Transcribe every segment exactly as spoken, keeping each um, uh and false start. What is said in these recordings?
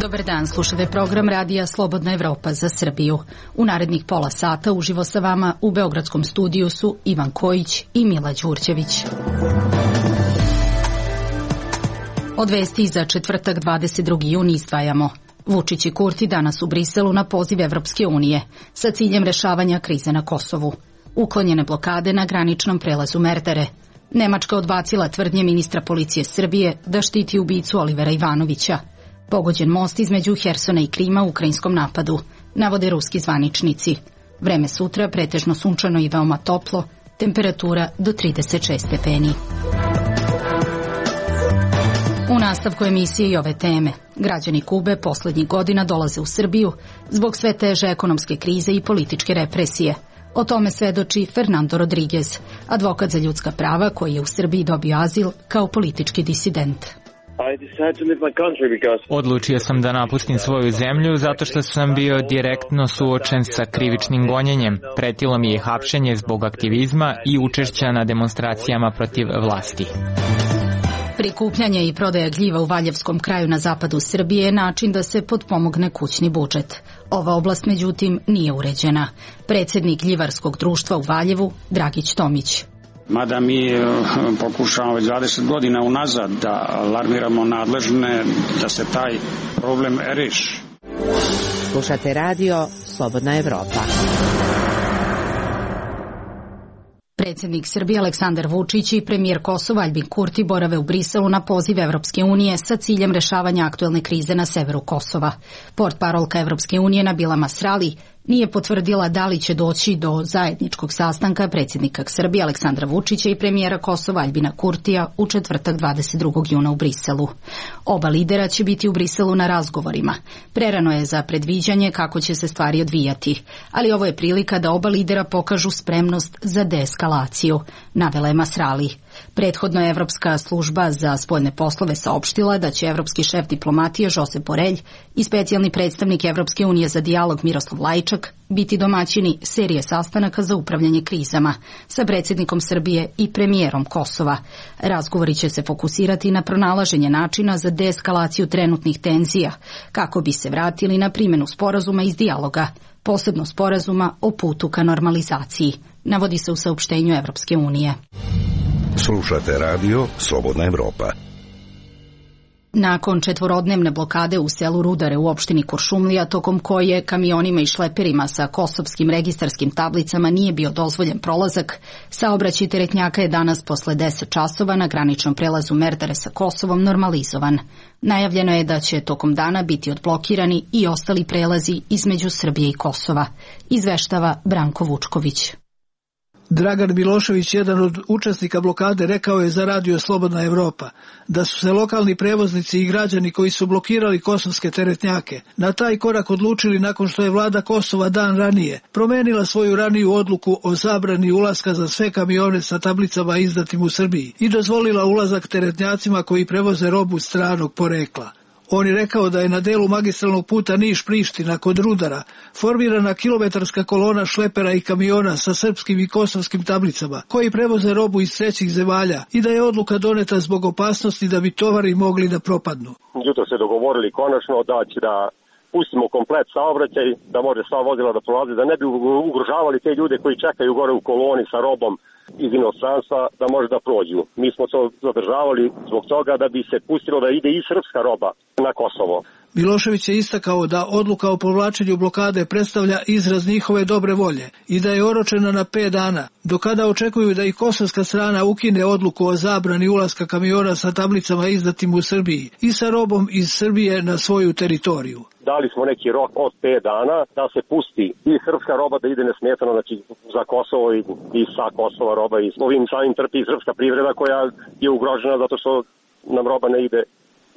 Dobar dan, slušate program radija Slobodna Evropa za Srbiju. U narednih pola sata uživo sa vama u beogradskom studiju su Ivan Kojić i Mila Đurđević. Od vesti za četvrtak dvadeset drugi jun izdvajamo. Vučić i Kurti danas u Briselu na poziv Evropske unije sa ciljem rešavanja krize na Kosovu. Uklonjene blokade na graničnom prelazu Merdare. Nemačka odbacila tvrdnje ministra policije Srbije da štiti ubicu Olivera Ivanovića. Pogođen most između Hersona i Krima u ukrajinskom napadu, navode ruski zvaničnici. Vreme sutra pretežno sunčano i veoma toplo, temperatura do trideset šest stepeni. U nastavku emisije i ove teme. Građani Kube poslednjih godina dolaze u Srbiju zbog sve teže ekonomske krize i političke represije. O tome svedoči Fernando Rodriguez, advokat za ljudska prava koji je u Srbiji dobio azil kao politički disident. Odlučio sam da napustim svoju zemlju zato što sam bio direktno suočen sa krivičnim gonjenjem. Pretilo mi je hapšenje zbog aktivizma i učešća na demonstracijama protiv vlasti. Prikupljanje i prodaja gljiva u Valjevskom kraju na zapadu Srbije je način da se potpomogne kućni budžet. Ova oblast, međutim, nije uređena. Predsednik gljivarskog društva u Valjevu, Dragić Tomić. Mada mi pokušavamo već dvadeset godina unazad da alarmiramo nadležne da se taj problem reši. Slušate radio Slobodna Evropa. Predsjednik Srbije Aleksandar Vučić i premijer Kosova Aljbin Kurti borave u Briselu na poziv Evropske unije sa ciljem rešavanja aktuelne krize na severu Kosova. Portparolka Evropske unije Nabila Masrali nije potvrdila da li će doći do zajedničkog sastanka predsjednika Srbije Aleksandra Vučića i premijera Kosova Aljbina Kurtija u četvrtak dvadeset drugog juna u Briselu. Oba lidera će biti u Briselu na razgovorima. Prerano je za predviđanje kako će se stvari odvijati, ali ovo je prilika da oba lidera pokažu spremnost za deeskalaciju, navela je Masrali. Prethodno je Evropska služba za spoljne poslove saopštila da će evropski šef diplomatije Josep Borelj i specijalni predstavnik Evropske unije za dijalog Miroslav Lajčak biti domaćini serije sastanaka za upravljanje krizama sa predsjednikom Srbije i premijerom Kosova. Razgovori će se fokusirati na pronalaženje načina za deeskalaciju trenutnih tenzija, kako bi se vratili na primjenu sporazuma iz dijaloga, posebno sporazuma o putu ka normalizaciji, navodi se u saopštenju Evropske unije. Slušate radio Slobodna Evropa. Nakon četvorodnevne blokade u selu Rudare u opštini Kuršumlija, tokom koje kamionima i šleperima sa kosovskim registarskim tablicama nije bio dozvoljen prolazak, saobraćaj teretnjaka je danas posle deset časova na graničnom prelazu Merdare sa Kosovom normalizovan. Najavljeno je da će tokom dana biti odblokirani i ostali prelazi između Srbije i Kosova, izveštava Branko Vučković. Dragan Milošević, jedan od učesnika blokade, rekao je za radio Slobodna Evropa da su se lokalni prevoznici i građani koji su blokirali kosovske teretnjake na taj korak odlučili nakon što je vlada Kosova dan ranije promenila svoju raniju odluku o zabrani ulaska za sve kamione sa tablicama izdatim u Srbiji i dozvolila ulazak teretnjacima koji prevoze robu stranog porekla. On je rekao da je na delu magistralnog puta Niš-Priština kod Rudara formirana kilometarska kolona šlepera i kamiona sa srpskim i kosovskim tablicama koji prevoze robu iz trećih zemalja i da je odluka doneta zbog opasnosti da bi tovari mogli da propadnu. Jutro se dogovorili konačno da će da pustimo komplet saobraćaj, da može sva vozila da prolaze, da ne bi ugrožavali te ljude koji čekaju gore u koloni sa robom iz inostranstva da može da prođu. Mi smo to zadržavali zbog toga da bi se pustilo da ide i srpska roba na Kosovo. Milošević je istakao da odluka o povlačenju blokade predstavlja izraz njihove dobre volje i da je oročena na pet dana, do kada očekuju da i kosovska strana ukine odluku o zabrani ulaska kamiona sa tablicama izdatim u Srbiji i sa robom iz Srbije na svoju teritoriju. Dali smo neki rok od pet dana da se pusti i srpska roba da ide nesmetano, znači za Kosovo i, i sa Kosova roba i ovim samim trpi i srpska privreda koja je ugrožena zato što nam roba ne ide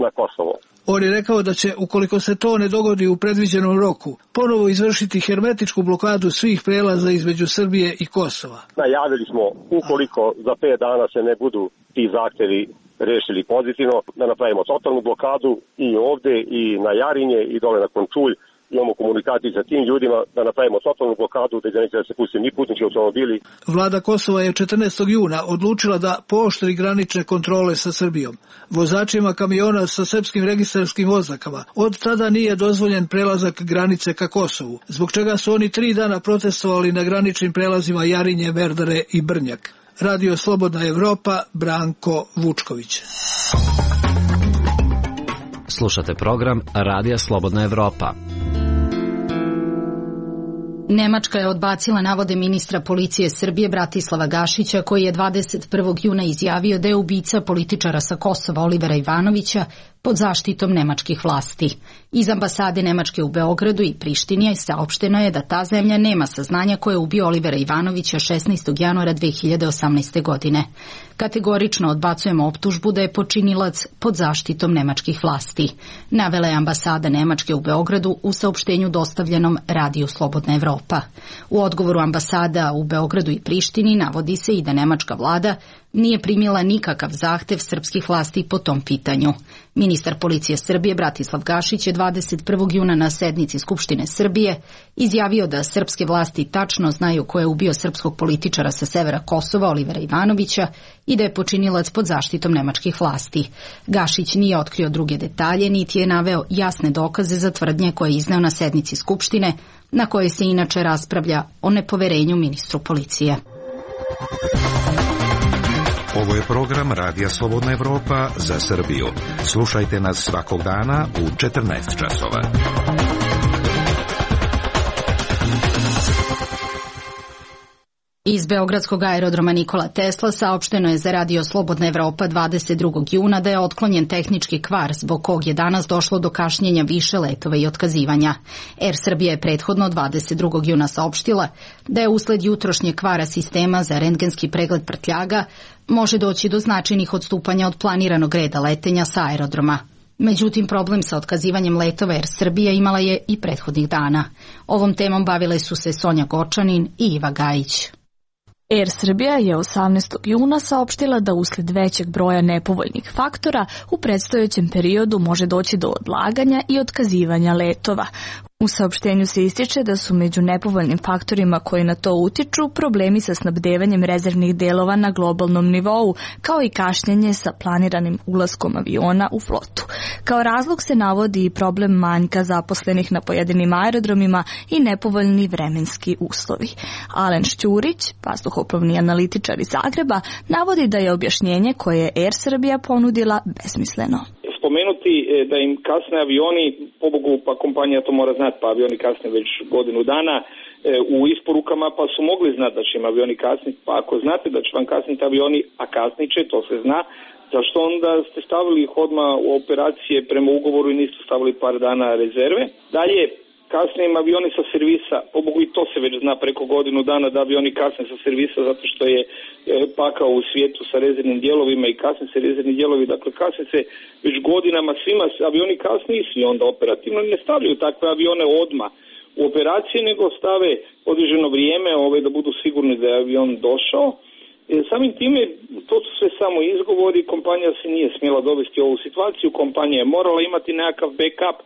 na Kosovo. On je rekao da će, ukoliko se to ne dogodi u predviđenom roku, ponovo izvršiti hermetičku blokadu svih prelaza između Srbije i Kosova. Najavili smo, ukoliko za pet dana se ne budu ti zahtevi rešili pozitivno, da napravimo totalnu blokadu i ovde i na Jarinje i dole na Končulj imamo komunikaciju sa tim ljudima, da napravimo totalnu blokadu, da neće da se pusti ni putnički automobili. Vlada Kosova je četrnaestog juna odlučila da pooštri granične kontrole sa Srbijom. Vozačima kamiona sa srpskim registarskim oznakama od tada nije dozvoljen prelazak granice ka Kosovu, zbog čega su oni tri dana protestovali na graničnim prelazima Jarinje, Merdare i Brnjak. Radio Slobodna Evropa, Branko Vučković. Slušate program Radija Slobodna Evropa. Nemačka je odbacila navode ministra policije Srbije Bratislava Gašića, koji je dvadeset prvog juna izjavio da je ubica političara sa Kosova Olivera Ivanovića pod zaštitom nemačkih vlasti. Iz ambasade Nemačke u Beogradu i Prištini saopšteno je da ta zemlja nema saznanja ko je ubio Olivera Ivanovića šesnaestog januara dve hiljade osamnaeste. godine. Kategorično odbacujemo optužbu da je počinilac pod zaštitom nemačkih vlasti, navela je ambasada Nemačke u Beogradu u saopštenju dostavljenom Radiju Slobodna Evropa. U odgovoru ambasada u Beogradu i Prištini navodi se i da nemačka vlada nije primila nikakav zahtev srpskih vlasti po tom pitanju. Ministar policije Srbije Bratislav Gašić je dvadeset prvog juna na sednici Skupštine Srbije izjavio da srpske vlasti tačno znaju ko je ubio srpskog političara sa severa Kosova Olivera Ivanovića i da je počinilac pod zaštitom nemačkih vlasti. Gašić nije otkrio druge detalje, niti je naveo jasne dokaze za tvrdnje koje je izneo na sednici Skupštine, na kojoj se inače raspravlja o nepoverenju ministru policije. Ovo je program Radija Slobodna Evropa za Srbiju. Slušajte nas svakog dana u četrnaest časova. Iz beogradskog aerodroma Nikola Tesla saopšteno je za Radio Slobodna Evropa dvadeset drugog juna da je otklonjen tehnički kvar zbog kog je danas došlo do kašnjenja više letova i otkazivanja. Er Srbija je prethodno dvadeset drugog juna saopštila da je usled jutrošnje kvara sistema za rentgenski pregled prtljaga može doći do značajnih odstupanja od planiranog reda letenja sa aerodroma. Međutim, problem sa otkazivanjem letova Er Srbija imala je i prethodnih dana. Ovom temom bavile su se Sonja Gočanin i Iva Gajić. Er Srbija je osamnaestog juna saopštila da usled većeg broja nepovoljnih faktora u predstojećem periodu može doći do odlaganja i otkazivanja letova. U saopštenju se ističe da su među nepovoljnim faktorima koji na to utiču problemi sa snabdevanjem rezervnih delova na globalnom nivou, kao i kašnjenje sa planiranim ulaskom aviona u flotu. Kao razlog se navodi i problem manjka zaposlenih na pojedinim aerodromima i nepovoljni vremenski uslovi. Alen Šćurić, vazduhoplovni analitičar iz Zagreba, navodi da je objašnjenje koje je Er Srbija ponudila besmisleno. Spomenuti da im kasne avioni, pobogu pa kompanija to mora znati, pa avioni kasne već godinu dana u isporukama, pa su mogli znati da će im avioni kasniti, pa ako znate da će vam kasniti avioni, a kasnit će, to se zna, zašto onda ste stavili ih odmah u operacije prema ugovoru i niste stavili par dana rezerve. Dalje, kasnije im avioni sa servisa, pobogu i to se već zna preko godinu dana da avioni kasne sa servisa zato što je pakao u svijetu sa rezervnim dijelovima i kasne se rezervni dijelovi, dakle kasne se već godinama svima avioni kasnije i svi onda operativno ne stavljaju takve avione odmah u operacije, nego stave određeno vrijeme ove, da budu sigurni da je avion došao. E, samim time, to su sve samo izgovori, kompanija se nije smjela dovesti u ovu situaciju, kompanija je morala imati nekakav backup.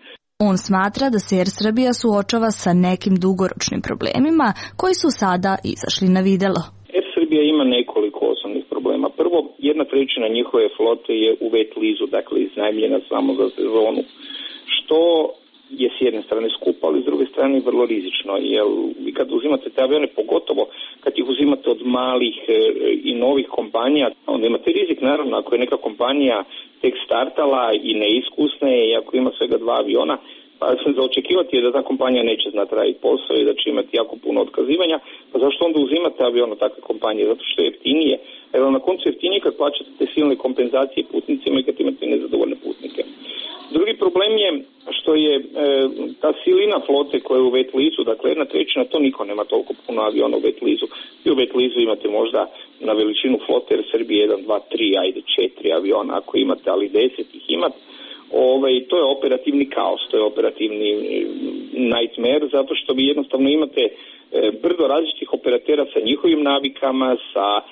On smatra da se Er Srbija suočava sa nekim dugoročnim problemima koji su sada izašli na videlo. Er Srbija ima nekoliko osnovnih problema. Prvo, jedna trećina njihove flote je u wet leasu, dakle iznajmljena samo za sezonu, što je s jedne strane skupo, ali s druge strane vrlo rizično, jer vi kad uzimate te avione, pogotovo kad ih uzimate od malih i novih kompanija, onda imate rizik, naravno, ako je neka kompanija tek startala i neiskusna je, i ako ima svega dva aviona, pa za očekivati je da ta kompanija neće znati raditi posao i da će imati jako puno otkazivanja, pa zašto onda uzimate avion od takve kompanije? Zato što je jeftinije, jer na koncu jeftinije kad plaćate te silne kompenzacije putnicima i kad imate nezadovoljne putnike. Drugi problem je što je e, ta silina flote koja je u wet leasu, dakle jedna trećina, to niko nema toliko puno aviona u wet leasu. I u wet leasu imate možda na veličinu flote jer Srbije jedan, dva, tri, ajde četiri aviona ako imate, ali deset ih imate. Ove, to je operativni kaos, to je operativni nightmare, zato što vi jednostavno imate e, brdo različitih operatera sa njihovim navikama, sa e,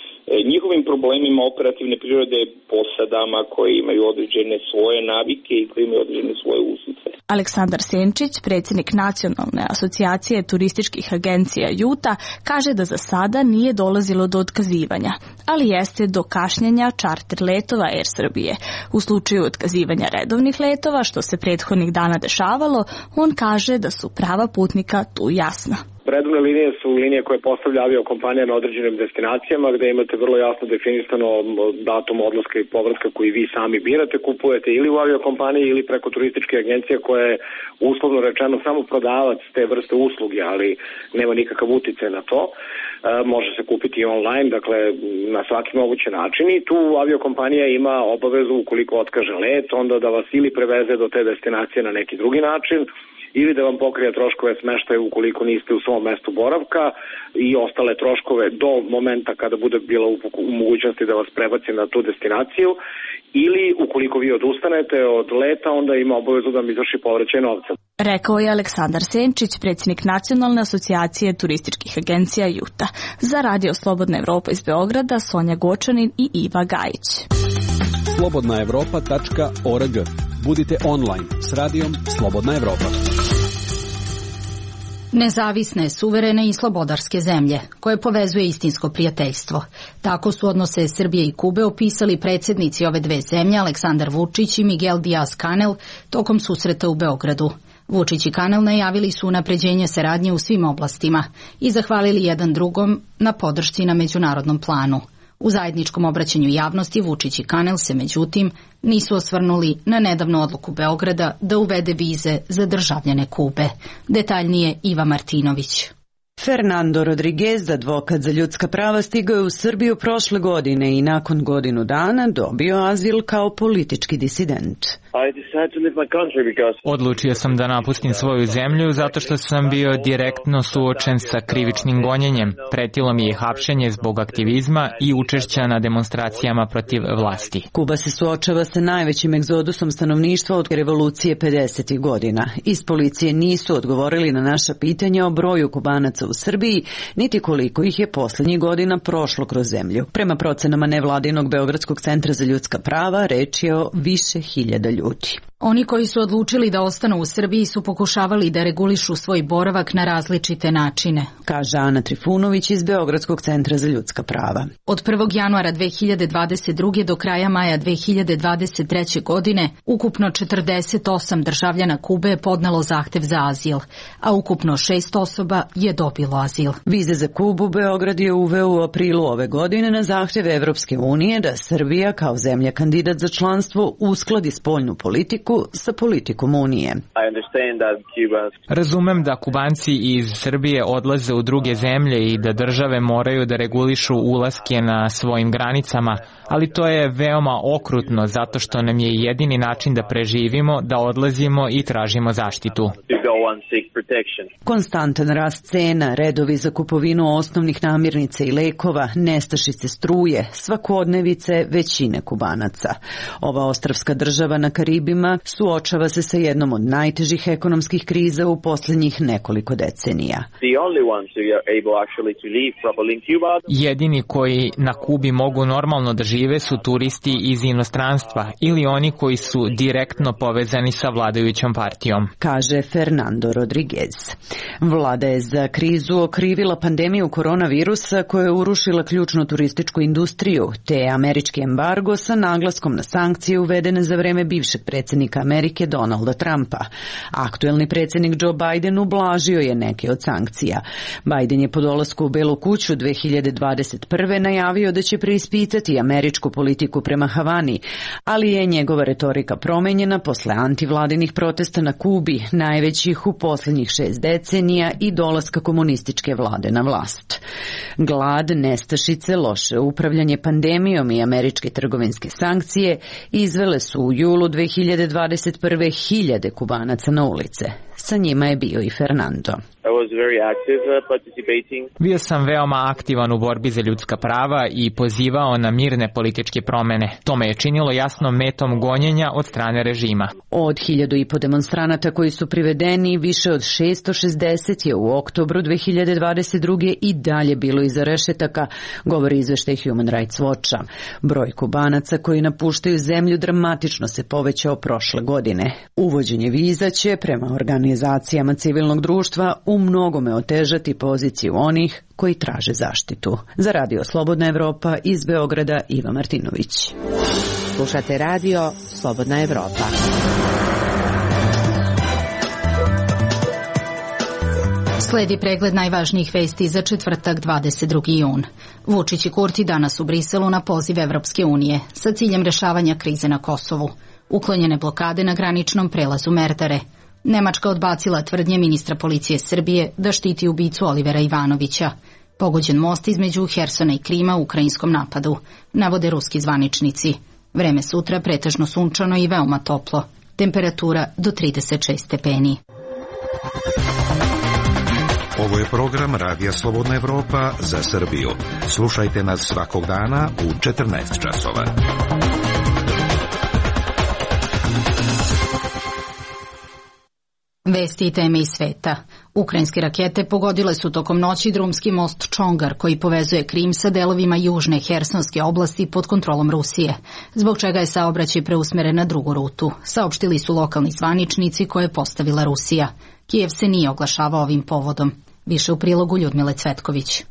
njihovim problemima operativne prirode, posadama koje imaju određene svoje navike i koje imaju određene svoje uslice. Aleksandar Senčić, predsjednik Nacionalne asocijacije turističkih agencija Juta, kaže da za sada nije dolazilo do otkazivanja, ali jeste do kašnjenja čarter letova Air Srbije. U slučaju otkazivanja redovnih letova, što se prethodnih dana dešavalo, on kaže da su prava putnika tu jasna. Redovne linije su linije koje postavlja aviokompanija na određenim destinacijama gde imate vrlo jasno definisano datum odlaska i povratka koji vi sami birate, kupujete ili u aviokompaniji ili preko turističke agencije koja je uslovno rečeno samo prodavac te vrste usluge, ali nema nikakav uticaj na to. E, može se kupiti i online, dakle na svaki mogući način i tu aviokompanija ima obavezu ukoliko otkaže let, onda da vas ili preveze do te destinacije na neki drugi način, ili da vam pokrije troškove smeštaja ukoliko niste u svom mestu boravka i ostale troškove do momenta kada bude bila u mogućnosti da vas prebaci na tu destinaciju, ili ukoliko vi odustanete od leta, onda ima obavezu da vam izvrši povraćaj novca. Rekao je Aleksandar Senčić, predsjednik Nacionalne asocijacije turističkih agencija Juta. Za Radio Slobodna Evropa iz Beograda, Sonja Gočanin i Iva Gajić. slobodna evropa tačka org. Budite online s radijom Slobodna Evropa. Nezavisne, suverene i slobodarske zemlje, koje povezuje istinsko prijateljstvo. Tako su odnose Srbije i Kube opisali predsjednici ove dve zemlje, Aleksandar Vučić i Miguel Diaz-Canel, tokom susreta u Beogradu. Vučić i Canel najavili su unapređenje saradnje u svim oblastima i zahvalili jedan drugom na podršci na međunarodnom planu. U zajedničkom obraćanju javnosti Vučić i Canel se, međutim, nisu osvrnuli na nedavnu odluku Beograda da uvede vize za državljane Kube. Detaljnije Iva Martinović. Fernando Rodriguez, advokat za ljudska prava, stigao je u Srbiju prošle godine i nakon godinu dana dobio azil kao politički disident. Odlučio sam da napustim svoju zemlju zato što sam bio direktno suočen sa krivičnim gonjenjem. Pretilo mi je hapšenje zbog aktivizma i učešća na demonstracijama protiv vlasti. Kuba se suočava sa najvećim egzodusom stanovništva od revolucije pedesetih godina. Iz policije nisu odgovorili na naša pitanja o broju Kubanaca u Srbiji, niti koliko ih je poslednjih godina prošlo kroz zemlju. Prema procenama nevladinog Beogradskog centra za ljudska prava, reč je o više hiljada ljudi. Oni koji su odlučili da ostanu u Srbiji su pokušavali da regulišu svoj boravak na različite načine, kaže Ana Trifunović iz Beogradskog centra za ljudska prava. Od prvog januara dve hiljade dvadeset druge do kraja maja dve hiljade dvadeset treće godine ukupno četrdeset osam državljana Kube je podnelo zahtev za azil, a ukupno šest osoba je dobilo azil. Vize za Kubu Beograd je uveo u aprilu ove godine na zahtev Evropske unije da Srbija kao zemlja kandidat za članstvo uskladi spoljnu politiku sa politikom Unije. Razumem da Kubanci iz Srbije odlaze u druge zemlje i da države moraju da regulišu ulaske na svojim granicama, ali to je veoma okrutno zato što nam je jedini način da preživimo da odlazimo i tražimo zaštitu. Konstantan rast cena, redovi za kupovinu osnovnih namirnica i lekova, nestašice struje, svakodnevice većine Kubanaca. Ova ostrvska država na Karibima suočava se sa jednom od najtežih ekonomskih kriza u posljednjih nekoliko decenija. Jedini koji na Kubi mogu normalno da žive su turisti iz inostranstva ili oni koji su direktno povezani sa vladajućom partijom, kaže Fernando Rodriguez. Vlada je za krizu okrivila pandemiju koronavirusa koja je urušila ključnu turističku industriju, te američki embargo sa naglaskom na sankcije uvedene za vreme bivšeg predsjednika Amerike Donalda Trumpa. Aktuelni predsjednik Joe Biden ublažio je neke od sankcija. Biden je po dolasku u Belu kuću dve hiljade dvadeset prve najavio da će preispitati američku politiku prema Havani, ali je njegova retorika promenjena posle antivladinih protesta na Kubi, najvećih u posljednjih šest decenija i dolaska komunističke vlade na vlast. Glad, nestašice, loše upravljanje pandemijom i američke trgovinske sankcije izvele su u julu dve hiljade dvadeset prve hiljade Kubanaca na ulice. Sa njima je bio i Fernando. Bio sam veoma aktivan u borbi za ljudska prava i pozivao na mirne političke promene. To me je činilo jasno metom gonjenja od strane režima. Od hiljadu i po demonstranata koji su privedeni, više od šessto šezdeset je u oktobru dve hiljade dvadeset druge. i dalje bilo iza rešetaka, govori izveštaj Human Rights Watcha. Broj Kubanaca koji napuštaju zemlju dramatično se povećao prošle godine. Uvođenje viza će, prema organizacijama civilnog društva, u mnogome otežati poziciju onih koji traže zaštitu. Za Radio Slobodna Evropa iz Beograda, Iva Martinović. Slušate Radio Slobodna Evropa. Sledi pregled najvažnijih vesti za četvrtak dvadeset drugi jun. Vučić i Kurti danas u Briselu na poziv Evropske unije sa ciljem rešavanja krize na Kosovu. Uklonjene blokade na graničnom prelazu Merdare. Nemačka odbacila tvrdnje ministra policije Srbije da štiti ubicu Olivera Ivanovića. Pogođen most između Hersona i Krima u ukrajinskom napadu, navode ruski zvaničnici. Vreme sutra pretežno sunčano i veoma toplo. Temperatura do trideset šest stepeni. Ovo je program Radija Slobodna Evropa za Srbiju. Slušajte nas svakog dana u četrnaest časova. Vesti i teme iz sveta. Ukrajinske rakete pogodile su tokom noći drumski most Čongar koji povezuje Krim sa delovima južne Hersonske oblasti pod kontrolom Rusije, zbog čega je saobraćaj preusmeren na drugu rutu, saopštili su lokalni zvaničnici koje je postavila Rusija. Kijev se nije oglašavao ovim povodom. Više u prilogu Ljudmile Cvetković.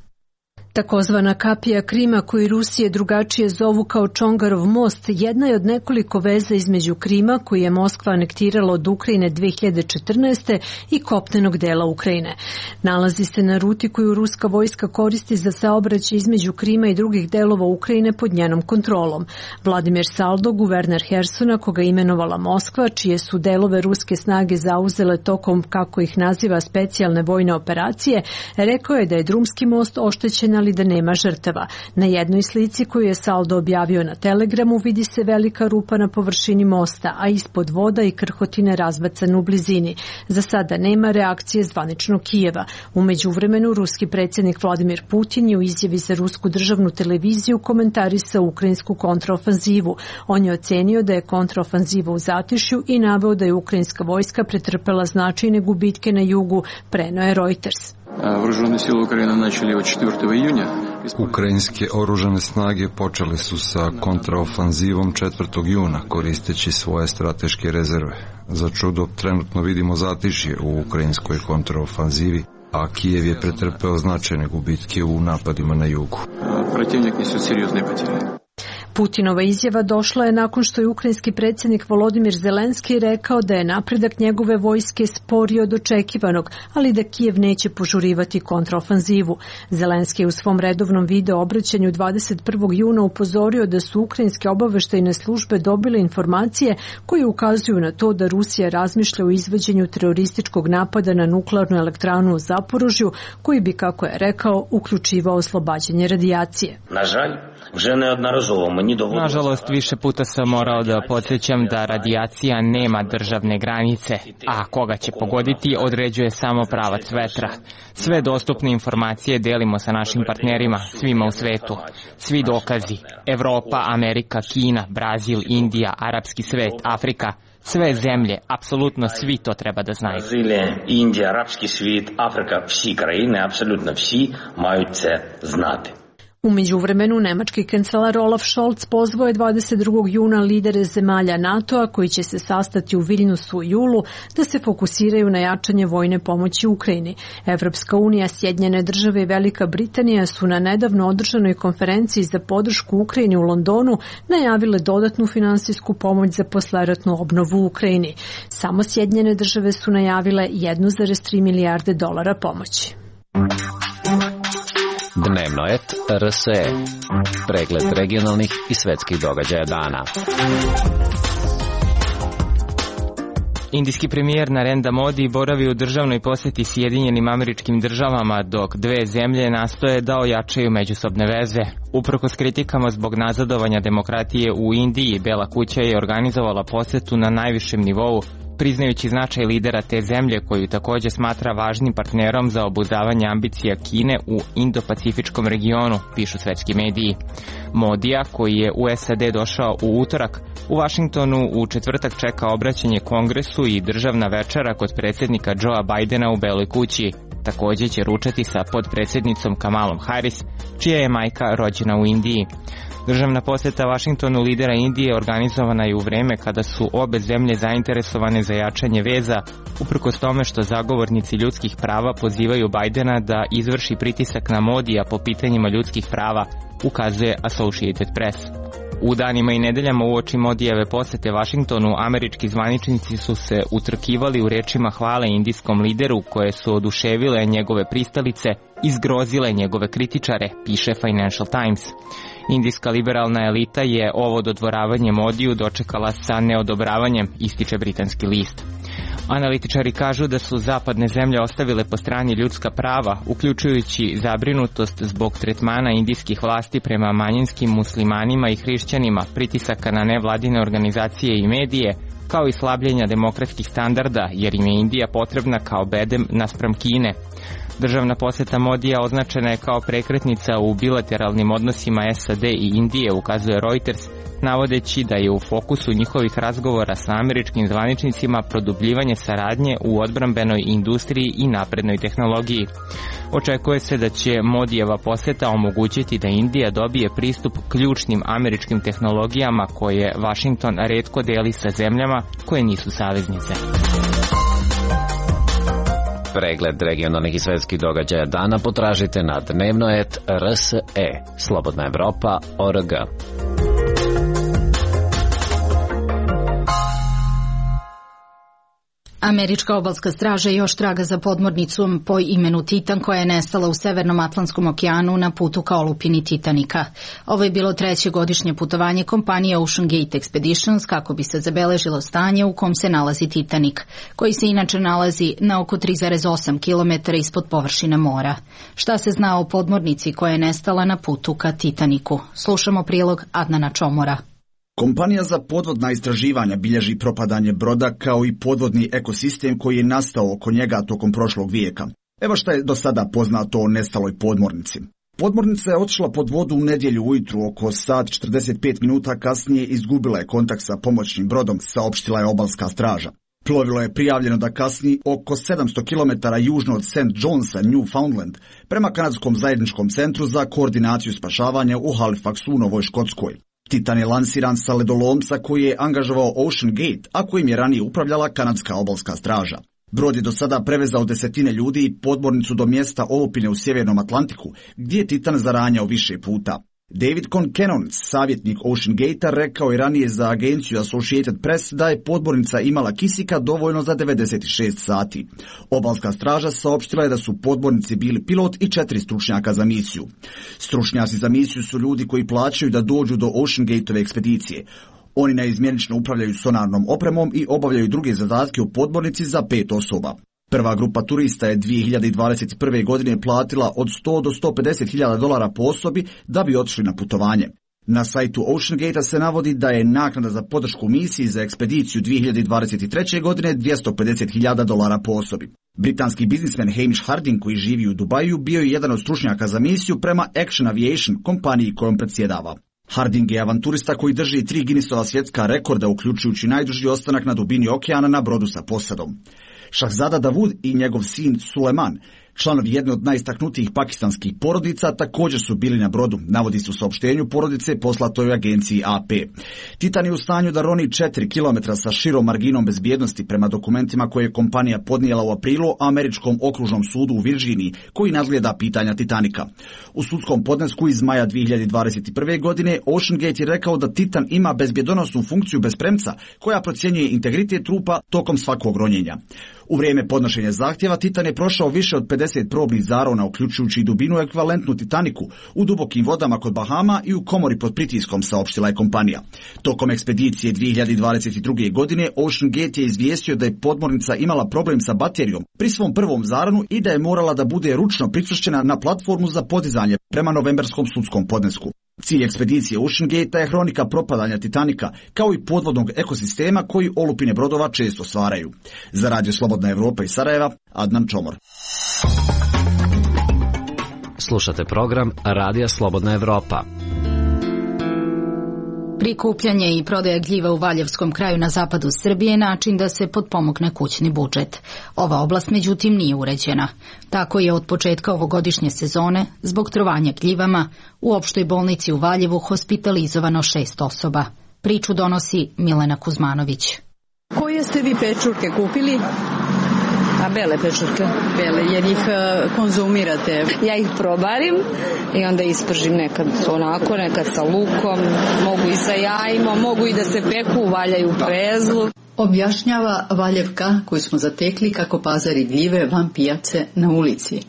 Takozvana kapija Krima, koju Rusije drugačije zovu kao Čongarov most, jedna je od nekoliko veza između Krima, koji je Moskva anektirala od Ukrajine dve hiljade četrnaeste. i kopnenog dela Ukrajine. Nalazi se na ruti koju ruska vojska koristi za saobraćaj između Krima i drugih delova Ukrajine pod njenom kontrolom. Vladimir Saldo, guverner Hersona, koga je imenovala Moskva, čije su delove ruske snage zauzele tokom, kako ih naziva, specijalne vojne operacije, rekao je da je drumski most oštećen, ali da nema žrtava. Na jednoj slici koju je Saldo objavio na Telegramu vidi se velika rupa na površini mosta, a ispod voda i krhotine razbacane u blizini. Za sada nema reakcije zvaničnog Kijeva. U međuvremenu, ruski predsjednik Vladimir Putin je u izjavi za rusku državnu televiziju komentarisao ukrajinsku kontraofanzivu. On je ocenio da je kontraofanziva u zatišju i naveo da je ukrajinska vojska pretrpela značajne gubitke na jugu, preneo je Reuters. Ukrajinske oružane snage počele su sa kontraofanzivom četvrtog juna koristeći svoje strateške rezerve. Za čudo, trenutno vidimo zatišje u ukrajinskoj kontraofanzivi, a Kijev je pretrpeo značajne gubitke u napadima na jugu. Protivnik nesu seriozne potere. Putinova izjava došla je nakon što je ukrajinski predsjednik Volodimir Zelenski rekao da je napredak njegove vojske sporiji od očekivanog, ali da Kijev neće požurivati kontraofanzivu. Zelenski je u svom redovnom video obraćanju dvadeset prvog juna upozorio da su ukrajinske obaveštajne službe dobile informacije koje ukazuju na to da Rusija razmišlja o izvođenju terorističkog napada na nuklearnu elektranu u Zaporožju, koji bi, kako je rekao, uključivao oslobađanje radijacije. Nažalost, više puta sam morao da podsjećam da radijacija nema državne granice, a koga će pogoditi određuje samo pravac vetra. Sve dostupne informacije delimo sa našim partnerima, svima u svetu. Svi dokazi, Evropa, Amerika, Kina, Brazil, Indija, arapski svet, Afrika, sve zemlje, apsolutno svi to treba da znaju. Brazilija, Indija, arapski svet, Afrika, vsi krajine, apsolutno vsi maju це znati. U međuvremenu, nemački kancelar Olaf Scholz pozvao je dvadeset drugog juna lidere zemalja NATO-a koji će se sastati u Viljnusu u julu da se fokusiraju na jačanje vojne pomoći Ukrajini. Evropska unija, Sjedinjene države i Velika Britanija su na nedavno održanoj konferenciji za podršku Ukrajini u Londonu najavile dodatnu finansijsku pomoć za posleratnu obnovu u Ukrajini. Samo Sjedinjene države su najavile jedan zarez tri milijarde dolara pomoći. Dnevno et R S E. Pregled regionalnih i svetskih događaja dana. Indijski premijer Narendra Modi boravi u državnoj posjeti Sjedinjenim Američkim Državama, dok dve zemlje nastoje da ojačaju međusobne veze. Uprkos kritikama zbog nazadovanja demokratije u Indiji, Bela kuća je organizovala posjetu na najvišem nivou priznajući značaj lidera te zemlje koju takođe smatra važnim partnerom za obuzdavanje ambicija Kine u Indo-Pacifičkom regionu, pišu svetski mediji. Modija, koji je u S A D došao u utorak, u Vašingtonu u četvrtak čeka obraćanje Kongresu i državna večera kod predsjednika Joea Bidena u Beloj kući. Takođe će ručati sa podpredsjednicom Kamalom Harris, čija je majka rođena u Indiji. Državna poseta Vašingtonu lidera Indije organizovana je u vreme kada su obe zemlje zainteresovane za jačanje veza, uprkos tome što zagovornici ljudskih prava pozivaju Bidena da izvrši pritisak na Modija po pitanjima ljudskih prava, ukazuje Associated Press. U danima i nedeljama uoči Modijeve posete Vašingtonu, američki zvaničnici su se utrkivali u rečima hvale indijskom lideru koje su oduševile njegove pristalice i zgrozile njegove kritičare, piše Financial Times. Indijska liberalna elita je ovo dodvoravanje Modiju dočekala sa neodobravanjem, ističe britanski list. Analitičari kažu da su zapadne zemlje ostavile po strani ljudska prava, uključujući zabrinutost zbog tretmana indijskih vlasti prema manjinskim muslimanima i hrišćanima, pritisaka na nevladine organizacije i medije, kao i slabljenja demokratskih standarda, jer im je Indija potrebna kao bedem naspram Kine. Državna poseta Modija označena je kao prekretnica u bilateralnim odnosima S A D i Indije, ukazuje Reuters, navodeći da je u fokusu njihovih razgovora sa američkim zvaničnicima produbljivanje saradnje u odbrambenoj industriji i naprednoj tehnologiji. Očekuje se da će Modijeva poseta omogućiti da Indija dobije pristup ključnim američkim tehnologijama koje Vašington retko deli sa zemljama koje nisu saveznice. Pregled regionalnih i svetskih događaja dana potražite na dnevnoet R S E, Slobodna Evropa, O R G. Američka obalska straža još traga za podmornicom po imenu Titan koja je nestala u Severnom Atlantskom okeanu na putu ka olupini Titanika. Ovo je bilo treće godišnje putovanje kompanije Ocean Gate Expeditions kako bi se zabeležilo stanje u kom se nalazi Titanik, koji se inače nalazi na oko tri zarez osam kilometara ispod površine mora. Šta se zna o podmornici koja je nestala na putu ka Titaniku? Slušamo prilog Adnana Čomora. Kompanija za podvodna istraživanja bilježi propadanje broda kao i podvodni ekosistem koji je nastao oko njega tokom prošlog vijeka. Evo šta je do sada poznato o nestaloj podmornici. Podmornica je otišla pod vodu u nedjelju ujutru, oko sat četrdeset pet minuta kasnije izgubila je kontakt sa pomoćnim brodom, saopštila je obalska straža. Plovilo je prijavljeno da kasni oko sedamsto kilometara južno od Saint Johnsa, Newfoundland, prema Kanadskom zajedničkom centru za koordinaciju spašavanja u Halifaxu u Novoj Škotskoj. Titan je lansiran sa ledolomca koji je angažovao Ocean Gate, a kojim je ranije upravljala kanadska obalska straža. Brod je do sada prevezao desetine ljudi i podmornicu do mjesta olupine u Sjevernom Atlantiku, gdje je Titan zaranjao više puta. David Concannon, savjetnik Ocean Gate-a, rekao je ranije za agenciju Associated Press da je podmornica imala kisika dovoljno za devedeset šest sati. Obalska straža saopštila je da su u podmornici bili pilot i četiri stručnjaka za misiju. Stručnjaci za misiju su ljudi koji plaćaju da dođu do Ocean Gate-ove ekspedicije. Oni naizmjenično upravljaju sonarnom opremom i obavljaju druge zadatke u podmornici za pet osoba. Prva grupa turista je dvije hiljade dvadeset prve. godine platila od sto do sto pedeset hiljada dolara po osobi da bi otišli na putovanje. Na sajtu Ocean Gate-a se navodi da je naknada za podršku misiji za ekspediciju dvije hiljade dvadeset treće. godine dvjesto pedeset hiljada dolara po osobi. Britanski biznismen Hamish Harding, koji živi u Dubaju, bio je jedan od stručnjaka za misiju prema Action Aviation, kompaniji kojom predsjedava. Harding je avanturista koji drži tri Guinnessova svjetska rekorda, uključujući najduži ostanak na dubini okeana na brodu sa posadom. Shahzada Davud i njegov sin Suleman, članovi jedne od najistaknutijih pakistanskih porodica, također su bili na brodu, navodi se u saopštenju porodice poslatoj agenciji A P. Titan je u stanju da roni četiri kilometra sa širom marginom bezbjednosti prema dokumentima koje je kompanija podnijela u aprilu Američkom okružnom sudu u Virginiji, koji nadgleda pitanja Titanika. U sudskom podnesku iz maja dvije hiljade dvadeset prve. godine Ocean Gate je rekao da Titan ima bezbjedonosnu funkciju bez premca koja procjenjuje integritet trupa tokom svakog ronjenja. U vrijeme podnošenja zahtjeva Titan je prošao više od pedeset probnih zarona, uključujući i dubinu ekvivalentnu Titaniku, u dubokim vodama kod Bahama i u komori pod pritiskom, saopštila je kompanija. Tokom ekspedicije dvije hiljade dvadeset druge. godine Ocean Gate je izvijestio da je podmornica imala problem sa baterijom pri svom prvom zaronu i da je morala da bude ručno pričvršćena na platformu za podizanje prema novembarskom sudskom podnesku. Cilj ekspedicije Ocean Gate je hronika propadanja Titanika, kao i podvodnog ekosistema koji olupine brodova često stvaraju. Za Radio Slobodna Evropa iz Sarajeva, Adnan Čomor. Slušate program Radija Slobodna Evropa. Prikupljanje i prodaja gljiva u Valjevskom kraju na zapadu Srbije je način da se potpomogne kućni budžet. Ova oblast međutim nije uređena. Tako je od početka ovogodišnje sezone, zbog trovanja gljivama, u opštoj bolnici u Valjevu hospitalizovano šest osoba. Priču donosi Milena Kuzmanović. Koje ste vi pečurke kupili? A bele pečurke, bele, jer ih uh, konzumirate. Ja ih probarim i onda ispržim nekad onako, nekad sa lukom, mogu i sa jajima, mogu i da se peku, valjaju u prezlu. Objašnjava Valjevka koju smo zatekli kako pazari gljive van pijace na ulici.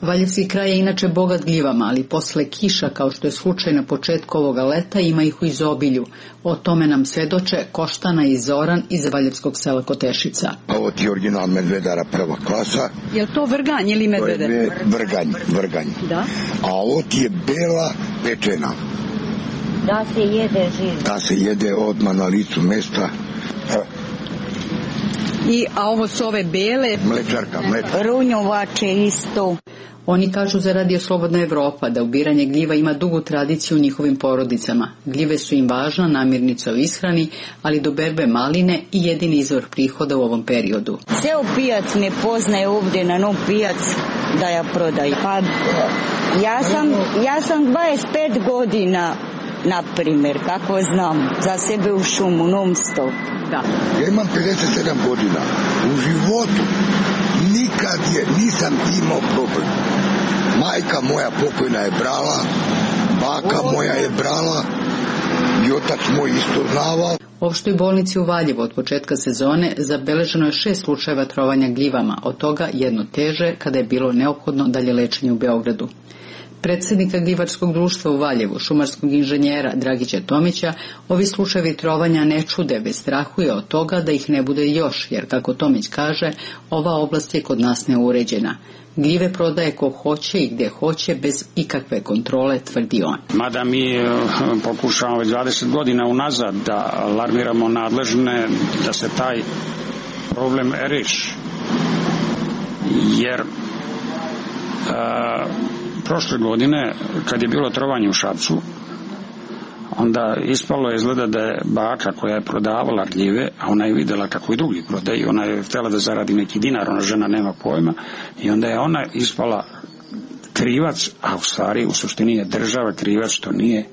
Valjevski kraj je inače bogat gljivama, ali posle kiša, kao što je slučaj na početku ovoga leta, ima ih u izobilju. O tome nam svedoče Koštana i Zoran iz valjevskog sela Kotešica. Ovo ti je original medvedara prva klasa. Je li to vrganj ili medvede? To je vrganj, vrganj. Da. A ovo ti je bela pečena. Da se jede živ. Da se jede odmah na licu mesta. I, a ovo su ove bele? Mlečarka, mlečarka. Runjovače isto. Oni kažu za Radio Slobodna Evropa da ubiranje gljiva ima dugu tradiciju u njihovim porodicama. Gljive su im važna namirnica u ishrani, ali do berbe maline i jedini izvor prihoda u ovom periodu. Ceo pijac me poznaje ovdje na nov pijac da ja prodaju. Pa ja sam, ja sam dvadeset pet godina, na primjer, kako znam, za sebe u šumu, non stop. Da. Ja imam pedeset sedam godina. U životu nikad je, nisam imao problem. Majka moja pokojna je brala, baka moja je brala i otac moj isto znavao. U opštoj bolnici u Valjevu od početka sezone zabeleženo je šest slučajeva trovanja gljivama, od toga jedno teže kada je bilo neophodno dalje lečenje u Beogradu. Predsjednika gljivarskog društva u Valjevu, šumarskog inženjera Dragića Tomića, ovi slučajevi trovanja ne čude, već strahuje od toga da ih ne bude još, jer kako Tomić kaže, ova oblast je kod nas neuređena. Gljive prodaje ko hoće i gdje hoće, bez ikakve kontrole, tvrdi on. Mada mi pokušavamo već dvadeset godina unazad da alarmiramo nadležne da se taj problem reši. Jer a, prošle godine, kad je bilo trovanje u Šapcu, onda ispalo je izgleda da je baka koja je prodavala gljive, a ona je vidjela kako i drugi prodaju, ona je htjela da zaradi neki dinar, ona žena nema pojma, i onda je ona ispala krivac, a u stvari u suštini je država krivac što nije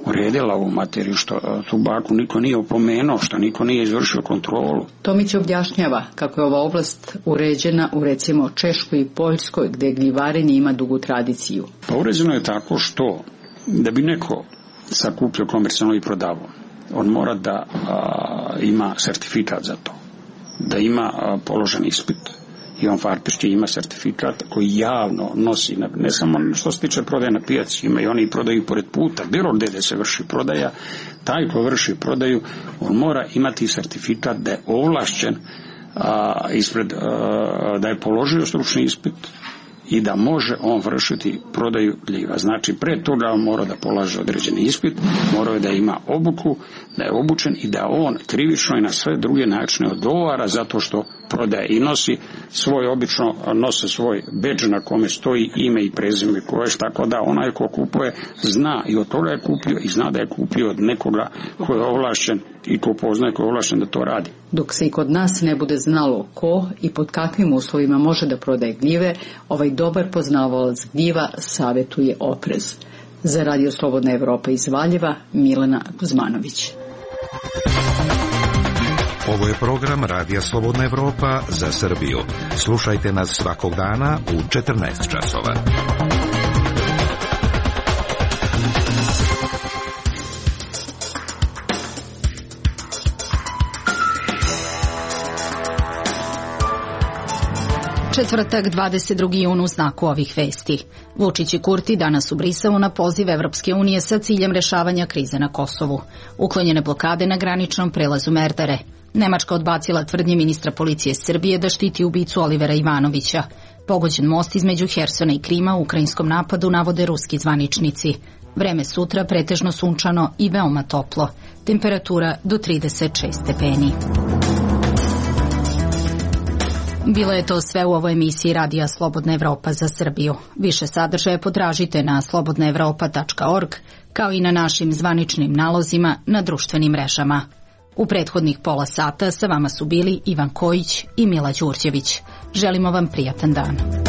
uredila ovu materiju, što tu baku niko nije opomenuo, što niko nije izvršio kontrolu. Tomić objašnjava kako je ova oblast uređena u recimo Češkoj i Poljskoj, gdje gljivarenje ima dugu tradiciju. Pa uređeno je tako što da bi neko sakupio komercijalno i prodavao, on mora da a, ima sertifikat za to, da ima a, položen ispit. I on faktički ima sertifikat koji javno nosi, ne samo što se tiče prodaje na pijaci, ima i oni prodaju pored puta, bilo gdje se vrši prodaja, taj ko vrši prodaju, on mora imati sertifikat da je ovlašćen a, ispred, a, da je položio stručni ispit i da može on vršiti prodaju gljiva. Znači, pre toga on mora da polaže određeni ispit, mora da ima obuku, da je obučen i da on krivično i na sve druge načine odgovara zato što prodaje i nosi svoj, obično nose svoj bedž na kome stoji ime i prezime koje, tako da onaj ko kupuje zna i od toga je kupio i zna da je kupio od nekoga ko je ovlašćen i ko poznaje ko je ovlašćen da to radi. Dok se i kod nas ne bude znalo ko i pod kakvim uslovima može da prodaje gljive, ovaj dobar poznavalac gljiva savjetuje oprez. Za Radio Slobodna Evropa iz Valjeva, Milena Kuzmanović. Ovo je program Radija Slobodna Evropa za Srbiju. Slušajte nas svakog dana u četrnaest časova. Četvrtak, dvadeset drugi jun u znaku ovih vesti. Vučić i Kurti danas u Briselu na poziv Evropske unije sa ciljem rešavanja krize na Kosovu. Uklonjene blokade na graničnom prelazu Merdare. Nemačka odbacila tvrdnje ministra policije Srbije da štiti ubicu Olivera Ivanovića. Pogođen most između Hersona i Krima u ukrajinskom napadu navode ruski zvaničnici. Vreme sutra pretežno sunčano i veoma toplo. Temperatura do trideset šest stepeni. Bilo je to sve u ovoj emisiji Radija Slobodna Evropa za Srbiju. Više sadržaja potražite na slobodna evropa tačka org, kao i na našim zvaničnim nalozima na društvenim mrežama. U prethodnih pola sata sa vama su bili Ivan Kojić i Mila Đurđević. Želimo vam prijatan dan.